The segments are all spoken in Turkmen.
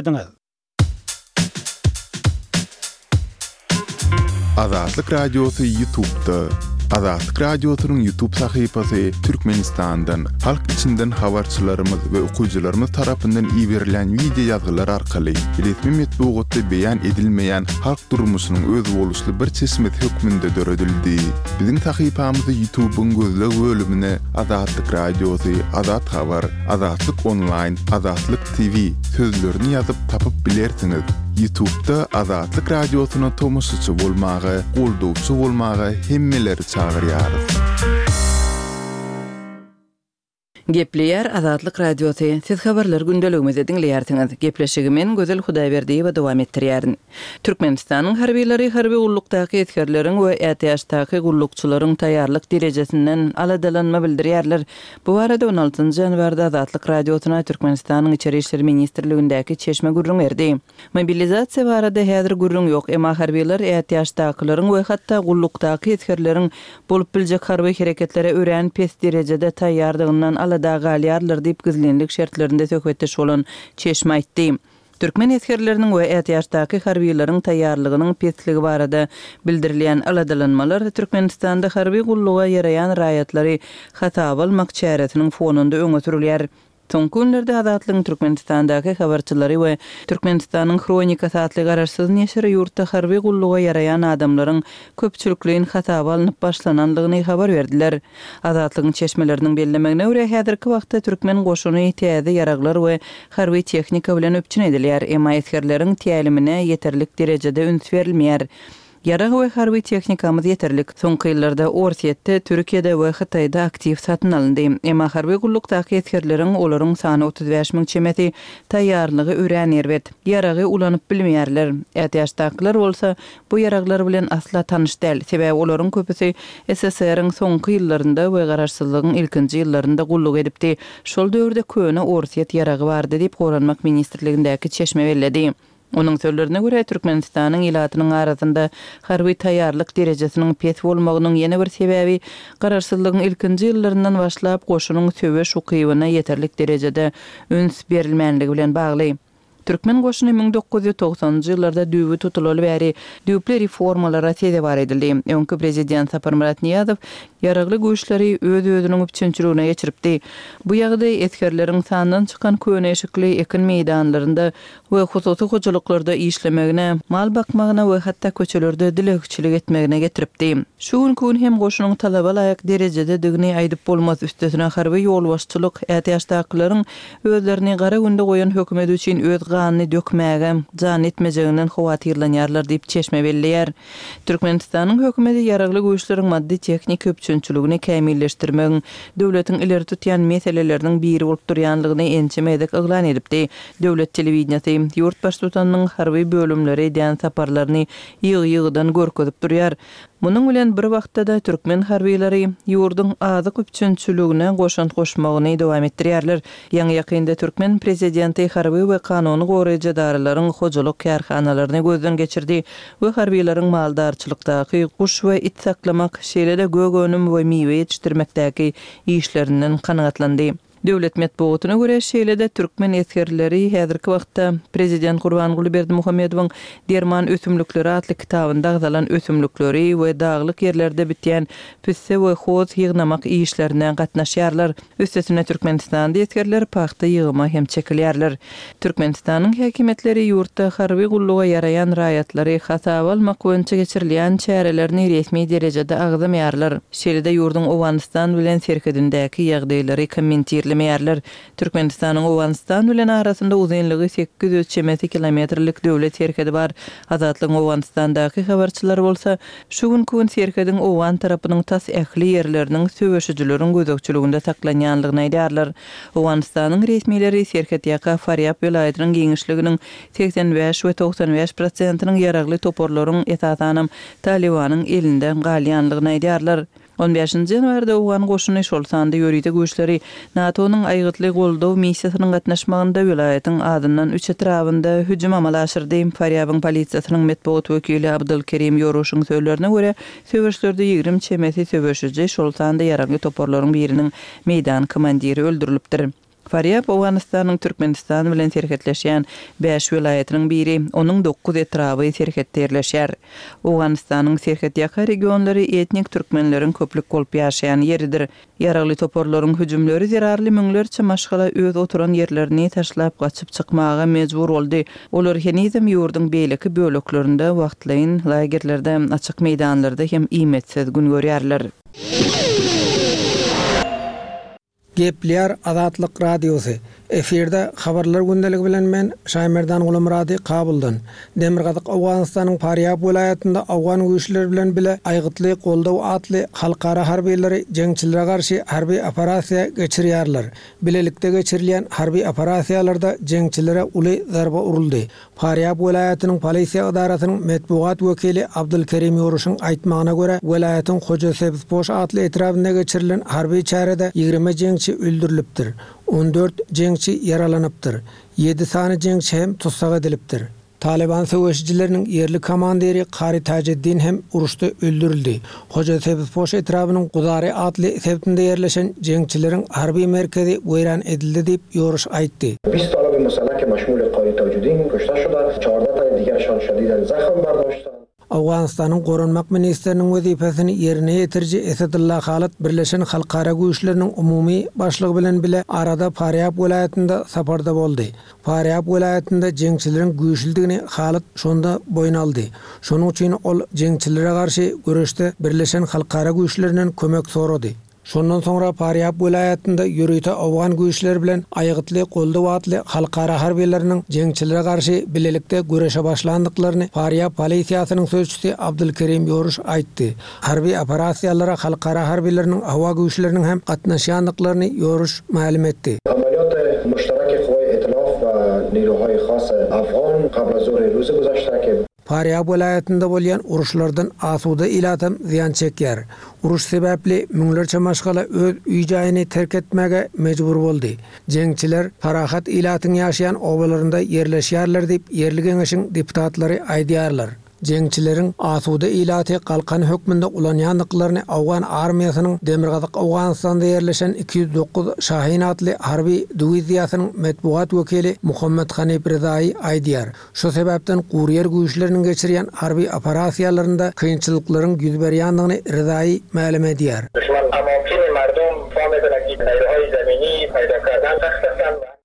Ediňiz. Azatlyk Radiosy Ýutubda. Azatlyk Radiosynyň Ýutub sahypasy Türkmenistandan, halk içinden habarçylarymyz we okyjylarymyz tarapyndan iberilen wideo ýazgylar arkaly resmi metbugatda beýan edilmeýän halk durmuşynyň özboluşly bir çeşmesi hökmünde döredildi. Biziň sahypamyzy Ýutubyň gözleg bölümine Azatlyk Radiosy, Azat Habar, Azatlyk Onlaýn, Azatlyk TV sözlerini ýazyp tapyp bilersiňiz. Ýutubda Azatlyk Radiosyna tomaşaçy bolmaga, goldawçy bolmaga hemmeleri çagyrýarys. Gepleýär Azatlyk Radiosy, Siz habarlar gündeligimizi diňleýärsiňiz. Gepleşigi men, Gözel Hudaýberdiýewa dowam etdirýärin. Türkmenistanyň harbylary harby gullukdaky esgerleriň we ätiýaçdaky gullukçylaryň taýýarlyk derejesinden aladalanma bildirýärler. Bu barada on altynjy ýanwarda Azatlyk Radiosyna Türkmenistanyň Içeri işler ministrligindäki çeşme gürrüň berdi. Mobilizasiýa barada häzir gürrüň ýok, emma harbylar ätiýaçdakylaryň we hatda gullukdaky esgerleriň bolup biljek harby hereketlere örän pes derejede taýýardygyndan alada galýarlar diýip, gizlinlik şertlerinde söhbetdeş bolan çeşme aýtdy. Türkmen esgerleriniň we ätiýaçdaky harbylaryň taýýarlygynyň pesligi barada bildirilýän aladalanmalar Türkmenistanda harby gulluga ýaraýan raýatlary hasaba almak çäresiniň fonunda öňe sürülýär. Soňky günlerde Azatlygyň Türkmenistandaky habarçylary we Türkmenistanyň Hronikasy atly garaşsyz neşiri ýurtda harby gulluga ýaraýan adamlaryň köpçülikleýin hasaba alnyp başlanandygyny habar berdiler. Azatlygyň çeşmeleriniň bellemegine görä, häzirki wagtda türkmen goşuny täze ýaraglar we harby tehnika bilen üpjün edilýär, emma esgerleriň tälimine ýeterlik derejede üns berilmeýär. Ýarag we harby tehnikamyz ýeterlik. Soňky ýyllarda Orsýetde, Türkiýede we Hytaýda aktiw satyn alyndy. Emma harby gullukdaky esgerleriň, olaryň sany 35 müň çemesi, taýýarlygy örän erbet. Ýaragy ulanyp bilmeýärler. Ätiýaçdakylar bolsa, Bu ýaraglar bilen asla tanyş däl, sebäbi olaryň köpüsi SSR-iň soňky ýyllarynda we garaşsyzlygyň ilkinji ýyllarynda gulluk edipdi. Şol döwürde köne orsýet ýaragy bardy diýip, Goranmak ministrligindäki çeşme belledi. Onuň sözlerine görä, Türkmenistanyň ilatynyň arasynda harby taýýarlyk derejesiniň pes bolmagynyň ýene bir sebäbi garaşsyzlygyň ilkinji ýyllaryndan başlap goşunyň söweş ukybyna ýeterlik derejede üns berilmänligi bilen bagly. Türkmen goşuny 1990-njy ýyllarda düýbi tutulaly bäri düýpli reformalara sezewar edildi. Öňki prezident Saparmyrat Nyýazow Ýaragly Güýçleri öz-özüniň üpjünçiligine geçiripdi. Bu ýagdaý esgerleriň sandan çykan köne eşikli ekin meýdanlarynda we hususy hojalyklarda işlemegine, mal bakmagyna we hatda köçelerde dilegçilik etmegine getiripdi. Şu günki gün hem goşunyň talaba laýyk derejededigini aýdyp bolmaz, üstesine harby ýolbaşçylyk ätiýaçdakylaryň Özlerini gara günde goýan hökümet üçin öz ganyny dökmäge jan etmejeginden howatyrlanýarlar diýip, çeşme belleýär. Türkmenistanyň hökümeti Ýaragly Güýçleriň maddy-tehniki üpjünçiligini kämilleşdirmegiň döwletiň ileri tutýan meseleleriniň biri bolup durýanlygyny ençeme gezek yglan edipdi. Döwlet telewideniýesi ýurt baştutanynyň harby bölümlere edýän saparlaryny ýygy-ýygydan görkezip durýar. Munuň bilen bir wagtda-da türkmen harbylary ýurduň azyk üpjünçiligine goşant goşmagyny dowam etdirýärler. Ýaňy-ýakynda türkmen prezidenti harby we kanuny goraýjy edaralaryň hojalyk kärhanalaryny gözden geçirdi we harbylaryň maldarçylykdaky, guş we it saklamak, şeýle-de gök önüm we miwe ýetişdirmekdäki işlerinden kanagatlandy. Döwlet metbugatyna görä, şeýle-de türkmen esgerleri häzirki wagtda prezident Gurbanguly Berdimuhamedowyň Derman ösümlikleri atly kitabynda agzalan ösümlikleri we daglyk ýerlerde bitýän pisse we hoz ýygnamak işlerine gatnaşýarlar. Üstesine Türkmenistanda esgerler pagta ýygyma hem çekilýärler. Türkmenistanyň häkimiýetleri ýurtda harby gulluga ýaraýan raýatlary hasaba almak boýunça geçirilýän çärelerini resmi derejede agzamaýarlar. Şeýle-de ýurduň Owganystan bilen serhedindäki ýagdaýlary kommentirlemeýärler. Türkmenistanyň Owganystan bilen arasynda uzynlygy 800 çemesi kilometrlik döwlet serhedi bar. Azatlygyň Owganystandaky habarçylary bolsa, şu günki gün serhediň owgan tarapynyň tas ähli ýerleriniň söweşijileriň gözegçiliginde saklanýanlygyny aýdýarlar. Owganystanyň resmileri serhetýaka Farýab welaýatynyň giňişliginiň 85 we 95 prosentiniň ýaragly toparlaryň, esasanam, Talybanyň elinde galýanlygyny aýdýarlar. On bäşinji ýanwarda owgan goşuny, şol sanda ýörite güýçleri NATO-nyň aýgytly goldaw missiýasynyň gatnaşmagynda welaýatyň azyndan üç etrabynda hüjüm amala aşyrdy. Farýabyň polisiýasynyň metbugat wekili Abdul Kerim Ýoruşyň sözlerine görä, söweşlerde 20 çemesi söweşiji, şol sanda ýaragly toparlaryň biriniň meýdan komandiri öldürilipdir. Farýab Owganystanyň Türkmenistan bilen serhetleşýän bäş welaýatynyň biri, onuň dokuz etraby serhetde ýerleşýär. Owganystanyň serhetýaka regionlary etnik türkmenleriň köplük bolup ýaşaýan ýeridir. Ýaragly toparlaryň hüjümleri zerarly müňlerçe maşgala öz oturan ýerlerini taşlap gaçyp çykmaga mejbur boldy. Olar henizem ýurduň beýleki böleklerinde wagtlaýyn lagerlerde, açyk meýdanlarda hem iýmitsiz gün görýärler. Gepleýär Azatlyk Radiosy. Efirde Habarlar gündeligi bilen men, Şaýmerdan Gulamyrady, Kabuldan. Demirgazyk Owganystanyň Farýab welaýatynda owgan güýçleri bilen bile Aýgytly goldaw atly halkara harbylary jeňçilere garşy harby operasiýa geçirýärler. Bilelikde geçirilýän harby operasiýalarda jeňçilere uly zarba uruldy. Farýab welaýatynyň polisiýa edarasynyň metbugat wekili Abdulkerim Ýoruşyň aýtmagyna görä, welaýatyň Hoja Sebzpoş atly etrabynda geçirilen harby çärede 20 jeňçi öldürilipdir, 14 jeňçi ýaralanypdyr, ýedi sany jeňçi hem tussag edilipdir. Talyban söweşijileriniň ýerli komandiri Kari Tajeddin hem uruşda öldürildi. Hoja Sebzpoş etrabynyň Guzari atly sebitinde ýerleşen jeňçileriň harby merkezi weýran edildi diýip, Ýoruş aýtdy. Bist talaby musalla ke maşmuli Kari Tajuddin kuşta şuda, çarda taý digerşan şadiden zahm bardoştan. Owganystanyň Goranmak ministriniň wezipesini ýerine ýetiriji Esedulla Halyt Birleşen halkara güýçleriniň umumy başlygy bilen bile arada Farýab welaýatynda saparda boldy. Farýab welaýatynda jeňçileriň güýçlüdigini Halyt şonda boýun aldy. Şonuň üçin ol jeňçilere garşy göreşde Birleşen halkara güýçlerinden kömek sorady. Şondan soňra Farýab welaýatynda ýörite owgan güýçleri bilen Aýgytly goldaw atly halkara harbylarynyň jeňçilere garşy bilelikde göreşe başlandyklaryny Farýab polisiýasynyň sözçüsi Abdulkerim Ýoruş aýtdy. Harby operasiýalara halkara harbylarynyň howa güýçleriniň hem gatnaşýandyklaryny Ýoruş mälim etdi. Amaliyat muştaraki kuvayi etilaf ve niruhayi khas afgan qabl az zuhri ruzi guzashte ke. Farýab welaýatynda bolýan uruşlardan asuda ilatam zyýan çekýär. Uruş sebäpli müňlerçe maşgala öz öý-jaýyny terk etmäge mejbur boldy. Jeňçiler parahat ilatyň ýaşaýan obalarynda ýerleşýärler diýip, ýerli geňeşiň deputatlary aýdýarlar. Jeňçileriň asuda ilaty galkan hökmünde ulanýandyklaryny owgan armiýasynyň Demirgazyk Owganystanda ýerleşen 209 Şahin atly harby diwiziýasynyň metbugat wekili Muhammet Hanif Rezaýy aýdýar. Şu sebäpden guryýer güýçleriniň geçirýän harby operasiýalarynda kynçylyklaryň ýüz berýändigini Rezaýy mälim edýär.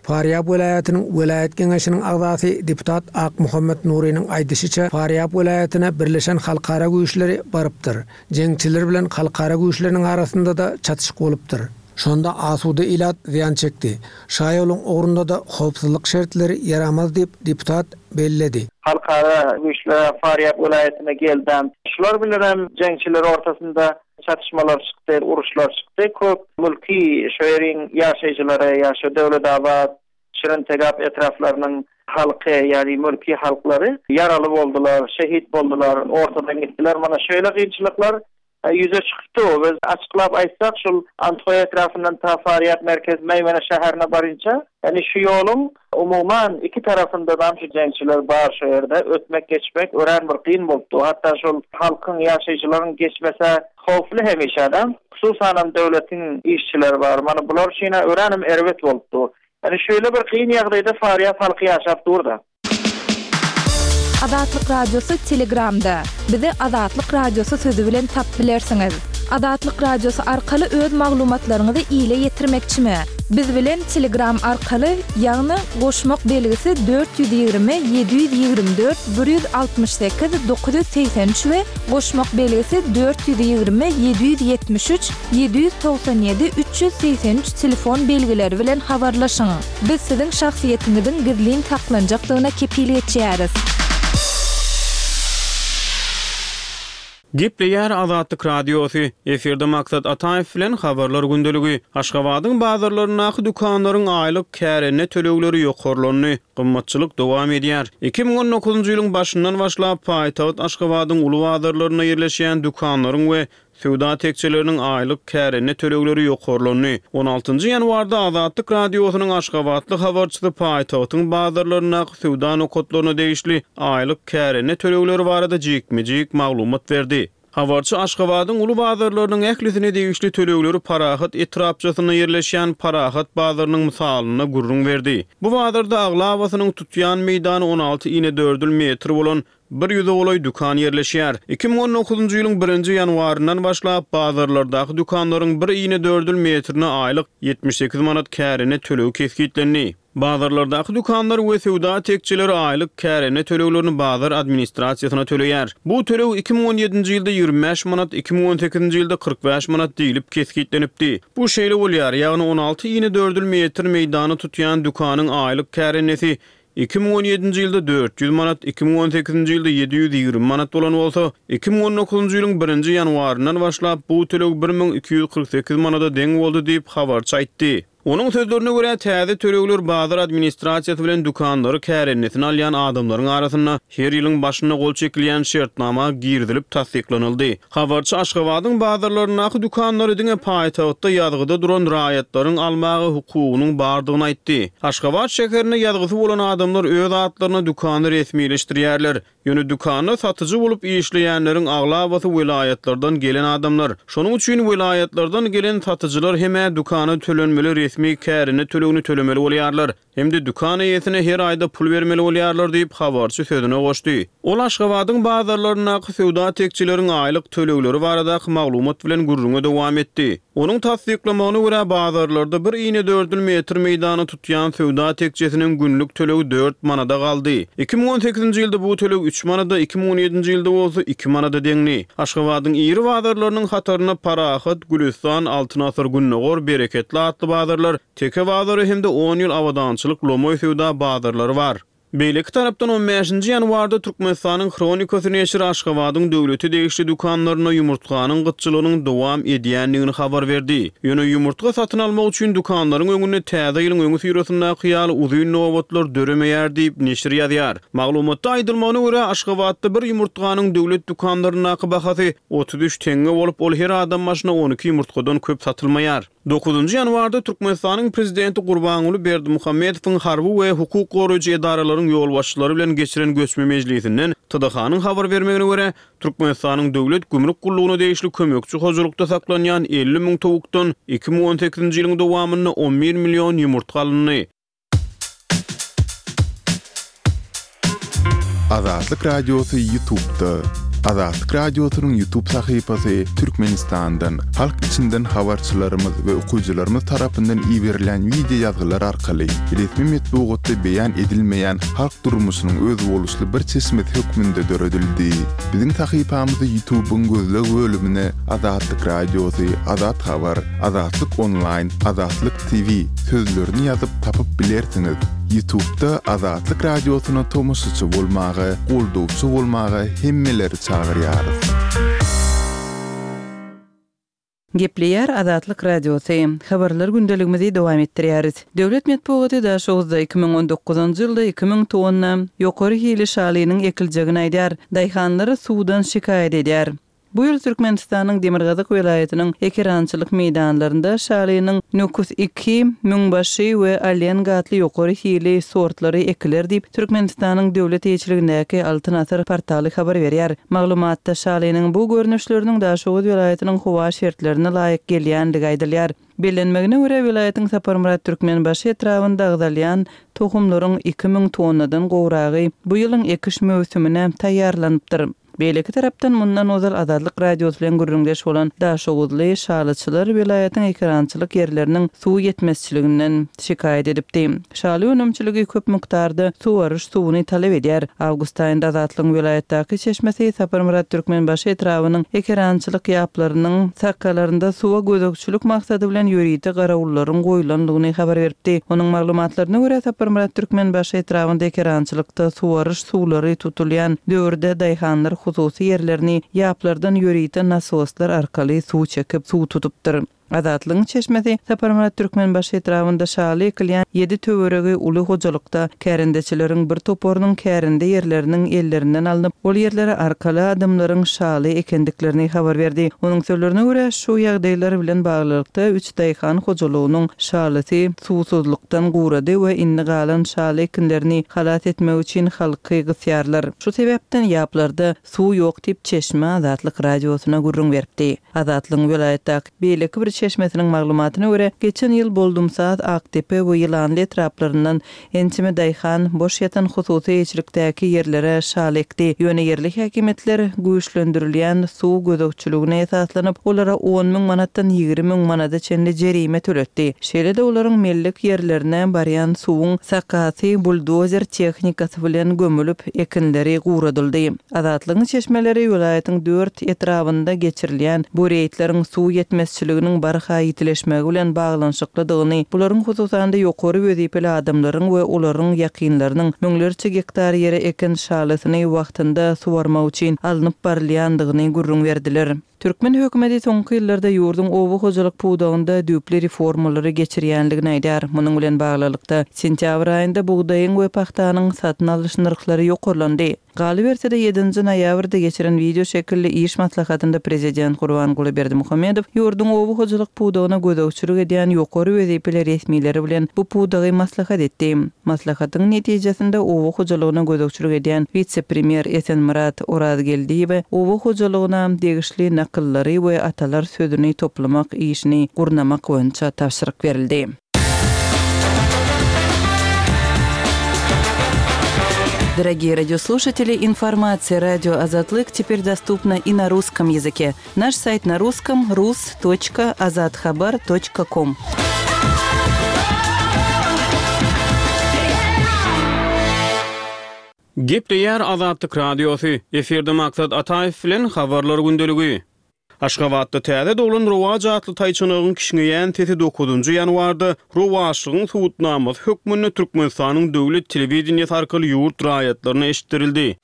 Farýab welaýatynyň welaýat geňeşiniň agzasy deputat Akmuhammet Nurynyň aýdyşyça, Farýab welaýatyna birleşen halkara güýçleri barypdyr. Jeňçiler bilen halkara güýçleriniň arasynda-da çatyşyk bolupdyr. Şonda asuda ilat zyýan çekdi. Şaýoluň ugrunda-da howpsuzlyk şertleri ýaramaz diýip, deputat belledi. Halkara güýçler Farýab welaýatyna geldem. Şular bilenem jeňçiler ortasynda çatyşmalar çykdy, uruşlar çykdy. Köp mülki şo ýeriň ýaşaýjylary, ýa şo Döwletabat, Şirintegap etraplarynyň halky, ýagny mülki halklary ýaraly boldular, şehit boldular, ortadan gitdiler. Mana şeýle kynçylyklar ýüze çykypdy. Biz açyklap aýtsak, şul Andhoý etrapyndan ta Farýab merkez Meýmene şäherine barynça, ýagny şu ýoluň umuman iki tarapyndadam şu jeňçiler bar şo ýerde. Ötmek geçmek örän bir kyn bolupdy. Hatda şol halkyň, ýaşaýjylaryň geçmese howply hemişe-de. Hususanam döwletiň işçileri bar. Mana bular üçin-ä öränem erbet bolupdy. Ýagny şeýle bir kyn ýagdaýda Farýab halky ýaşap dur-da. Azatlyk Radiosy Telegramda. Bizi Azatlyk Radiosy sözi bilen tapyp bilersiňiz. Azatlyk Radiosy arkaly öz maglumatlaryňyzy ile ýetirmekçimi? Biz bilen Telegram arkaly, ýagny goşmak belgisi 420 724 168 983 we goşmak belgisi 420 773 797 383 telefon belgileri bilen habarlaşyň. Biz siziň şahsyýetiňiziň gizlin saklanjakdygyna kepil geçýäris. Gepleýär Azatlyk Radiosy, Efirde Maksat Ataýew bilen Habarlar gündeligi. Aşgabadyň bazarlaryndaky dükanlaryň aýlyk kärende tölegleri ýokarlandy, gymmatçylyk dowam edýär. 2019-njy ýylyň başyndan başlap, paýtagt Aşgabadyň uly bazarlarynda ýerleşýän dükanlaryň we Söwda tekjeleriniň aýlyk kärende tölegleri ýokarlandy. On altynjy ýanwarda Azatlyk Radiosynyň aşgabatly habarçysy paýtagtyň bazarlaryndaky söwda nokatlaryna degişli aýlyk kärende tölegleri barada jikme-jik maglumat berdi. Habarçy Aşgabadyň uly bazarlarynyň ählisine degişli tölegleri Parahat etrapçasynda ýerleşýän Parahat bazarynyň mysalynda gürrüň berdi. Bu bazarda aglabasynyň tutýan meýdany 16 inedördül metr bolan bir ýüze golaý dükan ýerleşýär. 2019-njy ýylyň birinji ýanwaryndan başlap, bazarlardaky dükanlaryň bir inedördül metrine aýlyk 78 manat kärende tölegi kesgitlendi. Bazarlardaky dükanlar we söwda tekjeleri aýlyk kärende töleglerini bazar administrasiýasyna töleýär. Bu töleg 2017-nji ýylda 25 manat, 2018-nji ýylda 45 manat diýlip kesgitlenipdi. Bu şeýle bolýar, ýagny 16 inedördül metr meýdany tutýan dükanyň aýlyk kärendesi 2017-nji ýylda 400 manat, 2018-nji ýylda 720 manat bolan bolsa, 2019-njy ýylyň birinji ýanwaryndan başlap bu töleg 1248 manada deň boldy diýip, habarçy aýtdy. Onuň sözlerine görä, täze tölegler bazar administrasiýasy bilen dükanlary kärendesine alýan adamlaryň arasynda her ýylyň başynda gol çekilýän şertnama girizilip tassyklanyldy. Habarçy Aşgabadyň bazarlaryndaky dükanlary diňe paýtagtda ýazgyda duran raýatlaryň almaga hukugynyň bardygyny aýtdy. Aşgabat şäherinde ýazgysy bolan adamlar öz atlaryna dükany resmileşdirýärler. Ýöne dükanda satyjy bolup işleýänleriň aglabasy welaýatlardan gelen adamlar. Şonuň üçin welaýatlardan gelen satyjylar hem-ä dükana tölenmeli resmi kärende tölegini tölemeli bolýarlar, hem-de dükan eýesine her aýda pul bermeli bolýarlar diýip, habarçy sözüne goşdy. Ol Aşgabadyň bazarlaryndaky söwda tekjeleriň aýlyk tölegleri baradaky maglumat bilen gürrüňe dowam etdi. Onuň tassyklamagyna görä, bazarlarda bir inedördül metr meýdany tutýan söwda tekjesiniň günlük tölegi dört manada galdy. 2018-nji ýylda bu töleg üç manada, 2017-nji ýylda bolsa iki manada deňdi. Aşgabadyň iri bazarlarynyň hatarynda Parahat, Gülüstan, Altyn asyr Gündogar, Bereketli atly bazarlar, Teke bazary hem-de On ýyl abadançylyk lomaý söwda bazarlary bar. Beýleki tarapdan, on bäşinji ýanwarda Türkmenistanyň Hronikasy neşiri Aşgabadyň döwlete degişli dükanlarynda ýumurtganyň gytçylygynyň dowam edýändigini habar berdi. Ýöne ýumurtga satyn almak üçin dükanlaryň öňünde Täze ýylyň öňüsyrasyndaky ýaly uzyn nobatlar döremeýär diýip, neşir ýazýar. Maglumatda aýdylmagyna görä, Aşgabatda bir ýumurtganyň döwlet dükanlaryndaky bahasy 33 teňňe bolup, ol her adam başyna 12 ýumurtgadan köp satylmaýar. Dokuzynjy ýanwarda Türkmenistanyň Prezidenti Gurbanguly Berdimuhamedowyň harby we hukuk goraýjy edaralaryň ýolbaşçylary bilen geçiren göçme mejlisinden TDH-nyň habar bermegine görä, Türkmenistanyň Döwlet gümrük gullugyna degişli kömekçi hojalykda saklanýan 50 müň towukdan 2018-nji ýylyň dowamynda on bir million ýumurtga alyndy. Azatlyk Radiosy Ýutubda. Azatlyk Radiosynyň Ýutub sahypasy Türkmenistandan, halk içinden habarçylarymyz we okyjylarymyz tarapyndan iberilen wideo ýazgylar arkaly resmi metbugatda beýan edilmeýän halk durmuşynyň özboluşly bir çeşmesi hökmünde döredildi. Biziň sahypamyzy Ýutubyň gözleg bölümine Azatlyk Radiosy, Azat Habar, Azatlyk Onlaýn, Azatlyk TV sözlerini ýazyp tapyp bilersiňiz. Ýutubda Azatlyk Radiosyna tomaşaçy bolmaga, goldawçy bolmaga hemmeleri çagyrýarys. Gepleýär Azatlyk Radiosy. Habarlar gündeligimizi dowam etdirýäris. Döwlet metbugaty Daşoguzda 2019-njy ýylda 2000 tonna ýokary hili şalynyň ekiljegini aýdýar. Daýhanlar suwdan şikaýat edýär. Bu ýyl Türkmenistanyň demirgazyk welaýatynyň ekerançylyk meýdanlarynda şalynyň Nukus iki, Müňbaşy we Alenga atly ýokary hili sortlary ekiler diýip, Türkmenistanyň döwlet eýeçiligindäki Altyn asyr portaly habar berýär. Maglumatda şalynyň bu görnüşleriniň Daşoguz welaýatynyň howa şertlerine laýyk gelýändigi aýdylýar. Bellenmegine görä, welaýatyň Saparmyrat Türkmenbaşy etrabynda agzalýan tohumlaryň 2000 tonnadan gowragy bu ýylyň ekiş möwsümine taýýarlanypdyr. Beýleki tarapdan, mundan ozal Azatlyk Radiosy bilen gürrüňdeş bolan daşoguzly şalyçylar welaýatyň ekerançylyk ýerleriniň suw ýetmezçiliginden şikaýat edipdi. Şaly önümçiligi köp mukdarda suwaryş suwuny talap edýär. Awgust aýynda Azatlygyň welaýatdaky çeşmesi Saparmyrat Türkmenbaşy etrabynyň ekerançylyk ýaplarynyň sakgalarynda suwa gözegçilik maksady bilen ýörite garawullaryň goýlandygyny habar beripdi. Onuň maglumatlaryna görä, Saparmyrat Türkmenbaşy etrabynda ekerançylykda suwaryş suwlary tutulýan döwürde daýhanlar hususy ýerlerini ýaplardan ýörite nasoslar arkaly suw çekip, suw tutupdyr. Azatlygyň çeşmesi Saparmyrat Türkmenbaşy etrabynda şaly ekilýän ýedi töweregi uly hojalykda kärendeçileriň bir toparynyň kärende ýerleriniň ellerinden alnyp, ol ýerlere arkaly adamlaryň şaly ekendiklerini habar berdi. Onuň sözlerine görä, şu ýagdaýlar bilen baglylykda, üç daýhan hojalygynyň şalysy suwsuzlykdan gurady we indi galan şaly ekinlerini halas etmek üçin halky gysýarlar. Şu sebäpden ýaplarda suw ýok diýip, çeşme Azatlyk Radiosyna gürrüň beripdi. Azatlygyň welaýatdaky beýleki bir çeşmesiniň maglumatyna görä, geçen ýyl Boldumsaz, Akdepe we Ýylanly etraplaryndan ençeme daýhan boş ýatan hususy eýeçilikdäki ýerlere şaly ekdi. Ýöne ýerli häkimiýetler güýçlendirilýän suw gözegçiligine esaslanyp, olara on müň manatdan 20 müň manada çenli jerime töletdi. Şeýle-de olaryň mellek ýerlerine barýan suwuň sakasy buldozer tehnikasy bilen gömülip, ekinleri guradyldy. Azatlygyň çeşmeleri welaýatyň dört etrabynda geçirilýän bu reýdleriň suw ýetmezçiliginiň barha ýitileşmegi bilen baglanyşyklydygyny, bularyň hususan-da ýokary wezipeli adamlaryň we olaryň ýakynlarynyň müňlerçe gektar ýere eken şalysyny wagtynda suwarmak üçin alnyp barylýandygyny gürrüň berdiler. Türkmen hökümeti soňky ýyllarda ýurduň oba hojalyk pudagynda düýpli reformalary geçirýändigini aýdýar. Munuň bilen baglylykda, sentýabr aýynda bugdaýyň we pagtanyň satyn alyş nyrhlary ýokarlandy. Galyberse-de, ýedinji noýabrda geçiren wideo şekilli iş maslahatynda prezident Gurbanguly Berdimuhamedow ýurduň oba hojalyk pudagyna gözegçilik edýän ýokary wezipeli resmileri bilen bu pudagy maslahat etdi. Maslahatyň netijesinde oba hojalygyna gözegçilik edýän wise-premýer Esenmyrat Orazgeldiýewe oba hojalygyna degişli nakyllary we atalar sözüni toplamak işini gurnamak boýunça tabşyryk berildi. Дорогие радиослушатели, информация радио Азатлык теперь доступна и на русском языке. Наш сайт на русском rus.azathabar.com. Gepleýär Azatlyk Radiosy, efirde Maksat Ataýew bilen Habarlar gündeligi. Aşgabatda täze doglan Rowaç atly taýçanagyň kişňeýän sesi dokuzynjy ýanwarda rowaçlygyň subutnamasy hökmünde Türkmenistanyň döwlet telewideniýesi arkaly ýurt raýatlaryna eşitdirildi.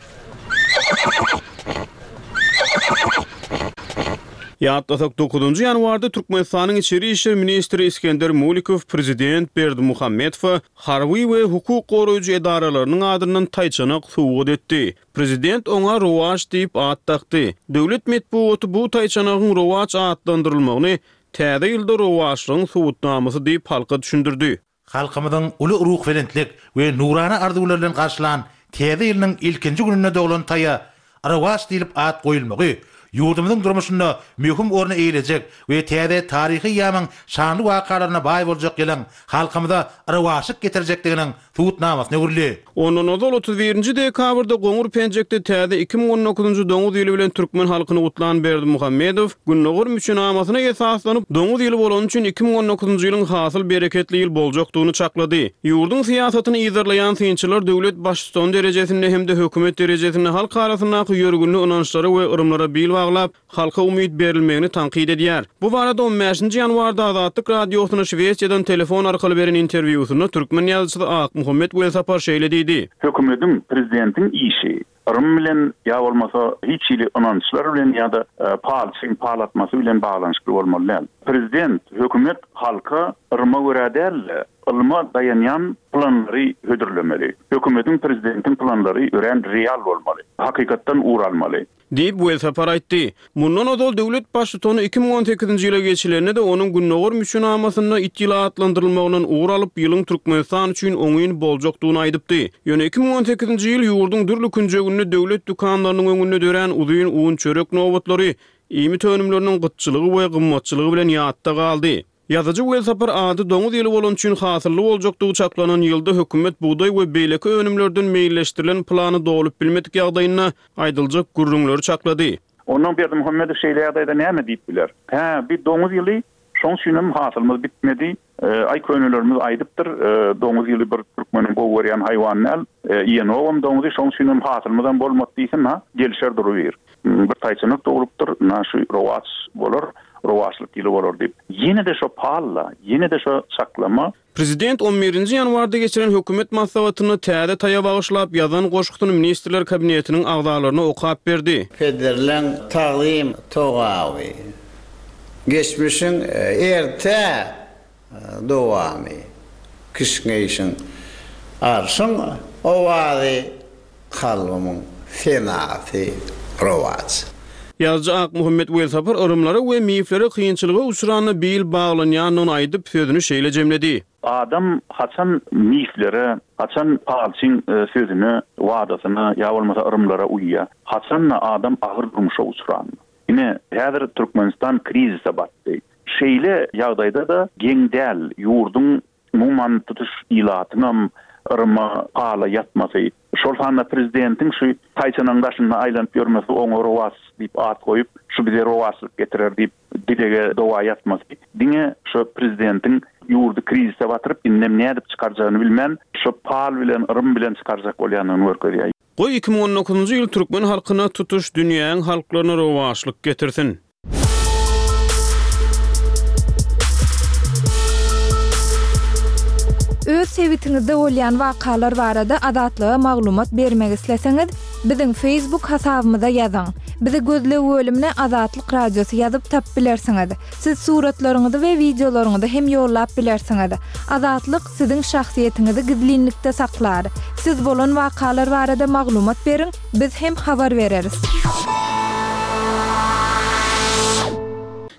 Ýatlasak, dokuzynjy ýanwarda Türkmenistanyň içeri işler ministri Isgender Mulikow prezident Berdimuhamedowa harby we hukuk goraýjy edaralarynyň adyndan taýçanak sowgat etdi. Prezident oňa Rowaç diýip at dakdy. Döwlet metbugaty bu taýçanagyň Rowaç atlandyrylmagyny Täze ýylda rowaçlygyň subutnamasy diýip halka düşündirdi. Halkymyzyň uly ruhubelentlik we nurana arzuwlar bilen garşylan Täze ýylynyň ilkinji gününde doglan taýa Rowaç diýlip at goýulmagy ýurdumyzyň durmuşynda möhüm orny eýelejek we täze taryhy eýýamyň şanly wakalaryna baý boljak ýylyň halkymyza rowaçlyk getirjekdiginiň subutnamasyna öwrüldi. Ondan ozal 31-nji dekabrda goňur penjekde täze 2019-njy doňuz ýyly bilen türkmen halkyny gutlan Berdimuhamedow, Gündogar müçenamasyna esaslanyp, doňuz ýyly bolany üçin 2019-njy ýylyň hasyl bereketli ýyl boljakdygyny çaklady. Ýurduň syýasatyny yzarlaýan synçylar döwlet baştutany derejesinde hem-de hökümet derejesinde halk arasyndaky ýörgünli ynançlara we yrymlara bil baglap, halka umyt berilmegini tankyt edýär. Bu barada on bäşinji ýanwarda Azatlyk Radiosyna Şwesiýadan telefon arkaly beren interwýusynda türkmen ýazyjysy Akmuhammet Welsapar şeýle diýdi. Hökümediň, prezidentiň işi yrym bilen ýa bolmasa hiç hili ynançlar bilen ýa-da palçyň pal atmasy bilen baglanyşykly bolmaly däl. Prezident, hökümet halka yryma görä däl-de, ylma daýanýan planlary hödürlemeli. Hökümediň, prezidentiň planlary örän real bolmaly, hakykatdan ugur almaly. Diýip, Welsapar aýtdy. Mundan ozal döwlet Baştutany 2018-nji ýyla geçilende-de, onuň Gündogar müçenamasynda it ýyly atlandyrylmagyndan ugur alyp, ýylyň Türkmenistan üçin oňyn boljakdygyny aýdypdy. Ýöne 2018-nji ýyl ýurduň dürli künjeginde döwlet dükanlarynyň öňünde dörän uzyn un-çörek nobatlary, iýmit önümleriniň gytçylygy we gymmatçylygy bilen ýatda galdy. Ýazyjy Welsapar ady doňuz ýyly bolany üçin hasylly boljakdygy çaklanan ýylda hökümet bugdaý we beýleki önümlerden meýilleşdirilen plany dolup bilmedik ýagdaýynda aýdyljak gürrüňleri çaklady. Onnoň Berdimuhamedow şeýle ýagdaýda näme diýip biler? Hä, bi doňuz ýyly, şoň üçinem hasylymyz bitmedi. Aý könelerimiz aýdypdyr, doňuz ýyly bir türkmeniň gowy görýän haýwany däl, iýenogam doňuzy, şoň üçinem hasylymyzam bolmady diýsin, ha, gelişer durubir. Bir taýçanak doglupdyr, ynha şu rowaç bolar, rowaçlyk ýyly bolar diýip. Ýene-de şo pal-da, ýene-de şo çaklama. Prezident on birinji ýanwarda geçiren hökümet maslahatynda täze taýa bagyşlap ýazan goşgusyny Ministrler Kabinetiniň agzalaryna okap berdi. Pederleň tagzym togaby. Geçmişiň erte dowamy, Kişňeýşiň arşyň owazy, Kalbymyň senasy rowaç. Ýazyjy Akmuhammet Welsapar yrymlara we miflere kynçylyga uçranda bil baglanýandygyny aýdyp, sözüni şeýle jemledi. Adam haçan miflere, haçan palçyň sözüne, wadasyna ýa bolmasa yrymlara uýýar? Haçan-da adam agyr durmuşa uçranda. Ine, häzir Türkmenistan krizise batdy. Şeýle ýagdaýda-da geň däl, ýurduň, umuman, tutuş ilatyňam yryma, pala ýatmasy, şol sanda prezidentiň şu taýçanagyň daşynda aýlanyp ýörmesi, oňa rowaç diýip at goýup, şu bize rowaçlyk getirer diýip dilege doga ýatmasy, diňe şu prezidentiň ýurdy krizise batyryp, indem nädip çykarjagyny bilmän, şu pal bilen, yrym bilen çykarjak bolýandygyny görkezýär. Goý, 2019-njy ýyl türkmen halkyna, tutuş dünýäň halklaryna rowaçlyk getirsin! Öz sebitiňizde bolýan wakalar barada Azatlyga maglumat bermek isleseňiz, biziň Facebook hasabymyza ýazyň. Bizi gözleg bölümine Azatlyk Radiosy ýazyp tapyp bilersiňiz. Siz suratlaryňyzy we wideolaryňyzy hem ýollap bilersiňiz. Azatlyk siziň şahsyýetiňizi gizlinlikde saklar. Siz bolan wakalar barada maglumat beriň, biz hem habar bereris.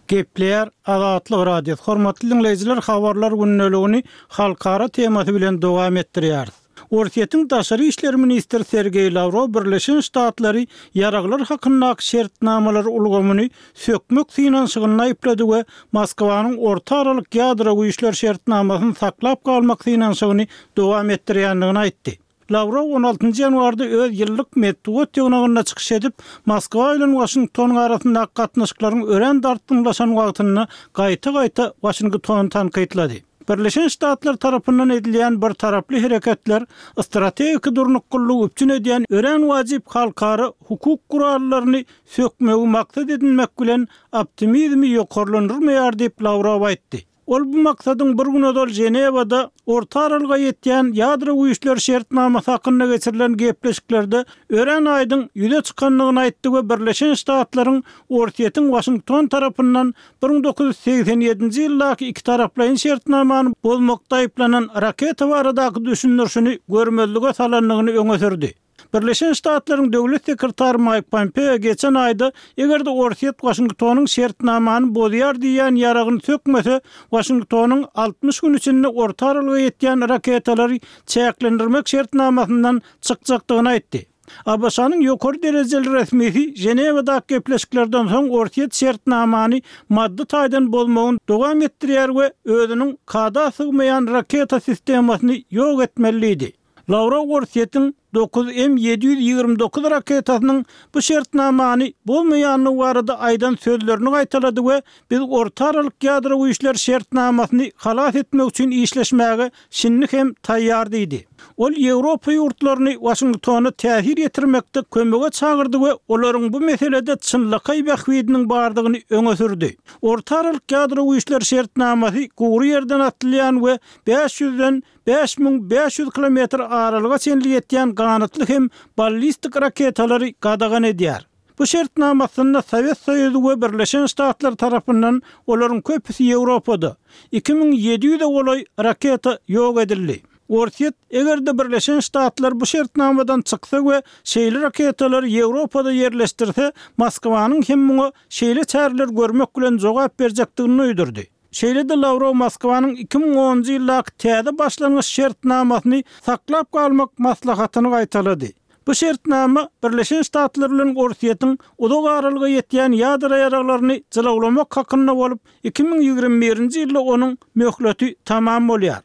Gepleýär Azatlyk Radiosy. Hormatly diňleýjiler habarlar gündeligini halkara temasy bilen dowam etdirýäris. Orsýetiň daşary işler ministri Sergeý Lawrow Birleşen Ştatlary ýaraglar hakyndaky şertnamalar ulgamyny sökmek synanyşygynda aýyplady we Moskwanyň Orta aralyk ýadro güýçler şertnamasyny saklap galmak synanyşygyny dowam etdirýändigini aýtdy. Lawrow on altynjy ýanwarda öz ýyllyk metbugat ýygnagynda çykyş edip, Moskwa bilen Waşingtonyň arasyndaky gatnaşyklaryň örän dartgynlaşan wagtynda gaýta-gaýta Waşingtony tankytlady. Birleşen Ştatlar tarapyndan edilýän birtaraply hereketler strategiki durnuklylygy üpjün edýän örän wajyp halkara hukuk gurallaryny sökmegi maksat edinmek bilen optimizmi ýokarlandyrmaýar diýip, Lawrow aýtdy. Ol bu maksadyň bir gün ozal Ženewada Orta Aralyga ýetýän ýadro güýçleri şertnamasy hakynda geçirilen gepleşiklerde örän aýdyň ýüze çykandygyny aýtdy we Birleşen Ştatlaryň Orsýetiň Waşington tarapyndan 1987-nji ýyldaky ikitaraplaýyn şertnamany bozmakda aýyplanan raketa baradaky düşündirişini görmezlige salandygyny öňe sürdi. Birleşen Ştatlaryň Döwlet sekretary Maýk Pompeo geçen aýda eger-de Orsýet Waşingtonyň şertnamany bozýar diýýän ýaragyny sökmese, Waşingtonyň 60 gün içinde orta aralyga ýetýän raketalary çäklendirmek şertnamasyndan çykjakdygyny aýtdy. ABŞ-nyň ýokary derejeli resmisi Ženewadaky gepleşiklerden soň Orsýet şertnamany maddy taýdan bozmagyny dowam etdirýär we özüniň kada sygmaýan raketa sistemasyny ýok etmeli diýdi. Lawrow Orsýetiň 9M 729 raketasynyň bu şertnamany bozmaýandygy barada aýdan sözlerini gaýtalady we biz Orta aralyk ýadro güýçler şertnamasyny halas etmek üçin işleşmäge şindi hem taýýar diýdi. Ol Ýewropa ýurtlaryny Waşingtona täsir ýetirmekde kömege çagyrdy we olaryň bu meselede çynlakaý bähbidiniň bardygyny öňe sürdi. Orta aralyk ýadro güýçleri şertnamasy gury ýerden atylýan we 500-den 5500 kilometr aralyga çenli ýetýän ganatly hem ballistik raketalary gadagan edýär. Bu şertnama astynda Sowet Soýuzy we Birleşen Ştatlar tarapyndan olaryň köpüsi Ýewropada, 2700-e golaý raketa ýok edildi. Orsýet, eger-de Birleşen Ştatlar bu şertnamadan çyksa we şeýle raketalary Ýewropada ýerleşdirse, Moskwanyň hem muňa şeýle çäreler görmek bilen jogap berjekdigini duýdurdy. Şeýle-de Lawrow Moskwanyň 2010-njy ýyldaky täze başlangyç şertnamasyny saklap galmak maslahatyny gaýtalady. Bu şertnama Birleşen Ştatlar bilen Orsýetiň uzak aralyga ýetýän ýadro ýaraglaryny jylawlamak hakynda bolup, 2021-nji ýylda onuň möhleti tamam bolýar.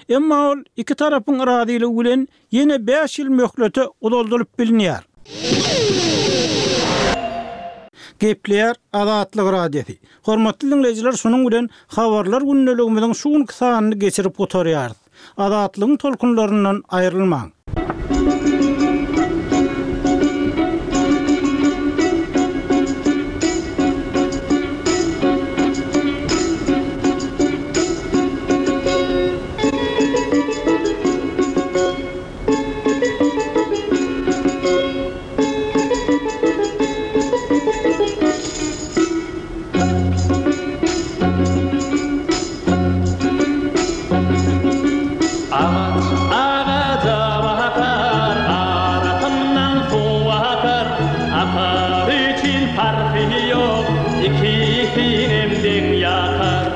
Emma ol iki tarapyň razylygy bilen ýene bäş ýyl möhlete uzaldylyp bilinýär. Gepleýär Azatlyk Radiosy. Hormatly diňleýjiler şunuň bilen Habarlar gündeligimiziň şu günki sanyny geçirip gutarýarys. Azatlygyň tolkunlaryndan aýrylmaň! Sinem deň ýatar.